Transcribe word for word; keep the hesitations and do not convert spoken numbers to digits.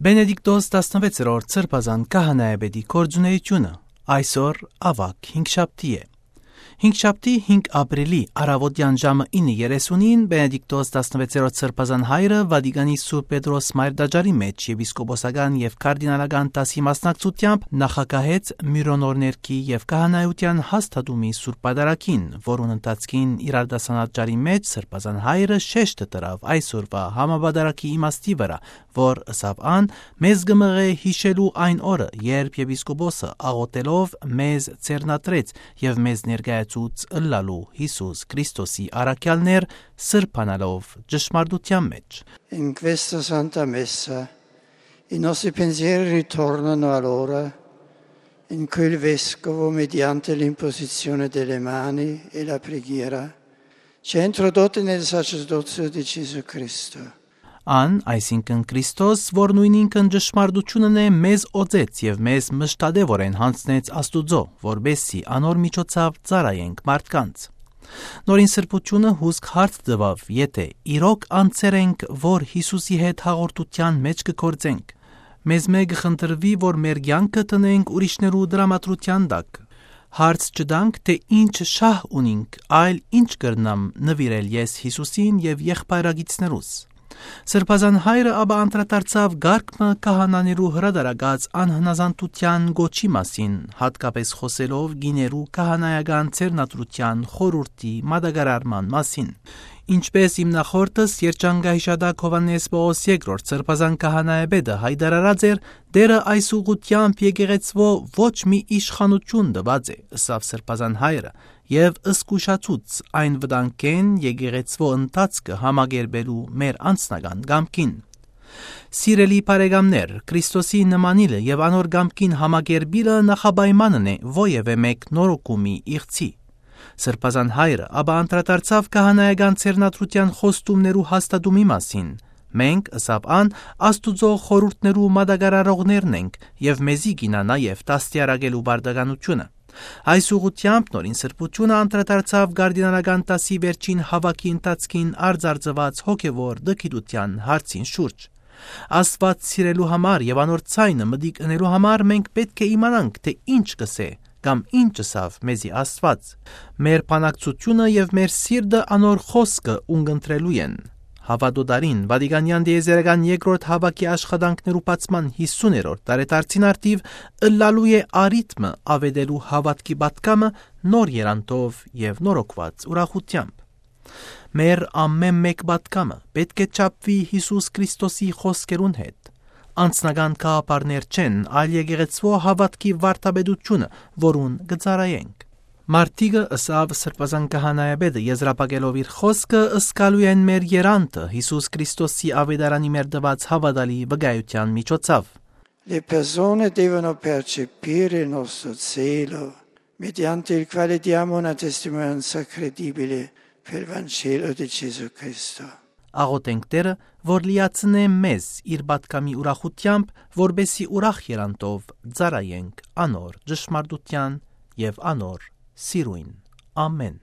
Պենեդիկտոս տասնվեցերորդ Սրբազան Քահանայապետի գործունէութիւնը այսօր, աւագ, հինգշաբթի է։ Հինգշաբթի, հինգ ապրիլի, առաւօտեան ժամը ինը երեսունին Պենեդիկտոս տասնվեցերորդ Սրբազան Հայրը Վատիկանի Սուրբ Պետրոս Մայր տաճարի մէջ եպիսկոպոսական եւ կարդինալական դասի մասնակցությամբ նախագահեց Միրոնորներկի եւ Քահանայութեան հաստատումի Սուրբ Պատարագին, որուն ընթացքին իր արտասանած ճառի մէջ Սրբազան Հայրը շեշտը դրաւ այսօրուայ համապատարագի իմաստի վրայ, որ, ըսաւ ան, մեզ կը մղէ յիշելու այն օրը, երբ եպիսկոպոսը աղօթելով մեզ ձեռնադրեց եւ մեզ ներկայացուց ըլլալու Յիսուս Քրիստոսի առաքեալներ, սրբանալով ճշմարտութեան մէջ։ In questa Santa Messa i nostri pensieri ritornano allora in quel vescovo mediante l'imposizione delle mani e la preghiera ci ha introdotti nel sacerdozio di Gesù Cristo. Ան, այսինքն Քրիստոս, որ նոյնինքն ճշմարտութիւնն է, մեզ օծեց եւ մեզ մշտատեւորեն յանձնեց Աստուծոյ, որպէս զի անոր միջոցաւ ծառայենք մարդկանց։ Նորին Սրբութիւնը հուսկ հարց տուաւ, եթէ իրոք անձեր ենք, որ Յիսուսի հետ հաղորդութեան մէջ կը գործենք։ Մեզմէ կը խնդրուի, որ մեր կեանքը դնենք ուրիշներու տրամադրութեան տակ։ Հարց չտանք, թէ ինչ շահ ունինք, այլ ինչ կրնամ նուիրել ես Յիսուսին եւ եղբայրագիցներուս։ Սրբազան Հայրը ապա անդրադարձաւ կարգ մը քահանաներու հրատարակած անհնազանդութեան կոչի մասին, յատկապէս խօսելով կիներու քահանայական ձեռնադրութեան խորհուրդի մատակարարման մասին։ Ինչպէս իմ նախորդս, երջանկահիշատակ Յովհաննէս Պաւլոս երկրորդ Սրբազան Քահանայապետը յայտարարած էր, Տէրը այս ուղղութեամբ եկեղեցւոյ ոչ մի իշխանութիւն տուած է, ըսաւ Սրբազան Հայրը, եւ զգուշացուց այն վտանգէն, եկեղեցւոյ ընթացքը համակերպելու մեր անձնական կամքին։ Սիրելի բարեկամներ, Քրիստոսի նմանիլը եւ անոր կամքին համակերպիլը նախապայմանն է որեւէ մէկ նորոգումի իղձի։ Սրբազան Հայրը ապա անդրադարձաւ քահանայական ձեռնադրութեան խոստումներու հաստատումի մասին։ «Մենք», ըսաւ ան, «Աստուծոյ խորհուրդներու մատակարարողներն ենք եւ մեզի կ'իյնայ նաեւ դաստիարակելու պարտականութիւնը»։ Այս ուղղութեամբ Նորին Սրբութիւնը անդրադարձաւ կարդինալական դասի վերջին հաւաքի ընթացքին արծարծուած հոգեւոր տգիտութեան հարցին շուրջ։ Աստուած սիրելու համար եւ անոր ձայնը մտիկ ընելու համար մենք պէտք է իմանանք, թէ ինչ կ'ըսէ կամ ինչ ըսաւ մեզի Աստուած։ Մեր բանակցութիւնը եւ մեր սիրտը անոր խօսքը ունկնդրելու են։ Հաւատոյ տարին Վատիկանեան տիեզերական երկրորդ հաւաքի աշխատանքներու բացման յիսուներորդ տարեդարձին առթիւ ըլլալու է առիթ մը աւետելու հաւատքի պատգամը նոր եռանդով եւ նորոգուած ուրախութեամբ։ Մեր ամէն մէկ պատգամը պէտք է չափուի Յիսուս Քրիստոսի խօսքերուն հետ։ Անձնական գաղափարներ չեն, այլ եկեղեցւոյ հաւատքի վարդապետութիւնը, որուն կը ծառայենք։ Մարդիկը, ըսաւ Սրբազան Քահանայապետը, եզրափակելով իր խօսքը, զգալու են մեր եռանդը Յիսուս Քրիստոսի աւետարանի մեր տուած հաւատալի վկայութեան միջոցաւ։ Le persone devono percepire il nostro zelo mediante il quale diamo una testimonianza credibile per il Vangelo di Gesù Cristo. Աղօթենք Տէրը, որ լիացնէ մեզ իր պատգամի ուրախութեամբ, որպէս զի ուրախ եռանդով ծառայենք անոր ճշմարտութեան եւ անոր սիրոյն։ Ամէն։